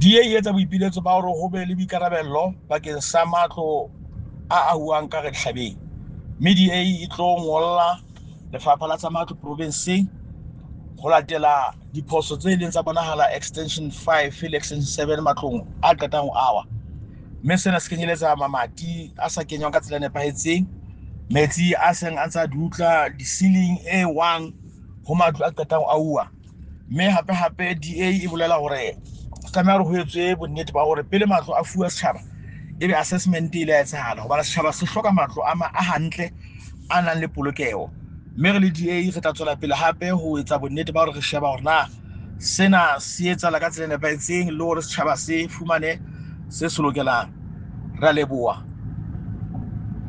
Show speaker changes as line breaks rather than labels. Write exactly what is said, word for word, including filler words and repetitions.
D A e etsa boipiletso ba hore ho be le boikarabello bakeng sa matlo a ahuwang ka dihlabeng, mme D A e tlo ngolla Lefapha la tsa Matlo provenseng ho latela diphoso tse ileng tsa bonahala extension five le extension seven matlong a qetang ho awa. Mme sena se kenyeletsa mamati a sa kenywang ka tsela e nepahetseng, metsi a seng a ntsa dutla, di-ceiling e wang ho matlo a qetang ho auwa. Mme hape hape D A e bolela hore ho tlameha hore ho etswe bonnete ba hore pele matlo a fuwa setjhaba ebe assessment e ile ya etsahala, hobane setjhaba se hloka matlo a ma-, a hantle a nang le polokeho. Mme re le D A re tla tswela pele hape ho etsa bonnete ba hore re sheba hore na sena se etsahala ka tsela e nepahetseng le hore setjhaba se fumane se se lokelang. Re a leboha.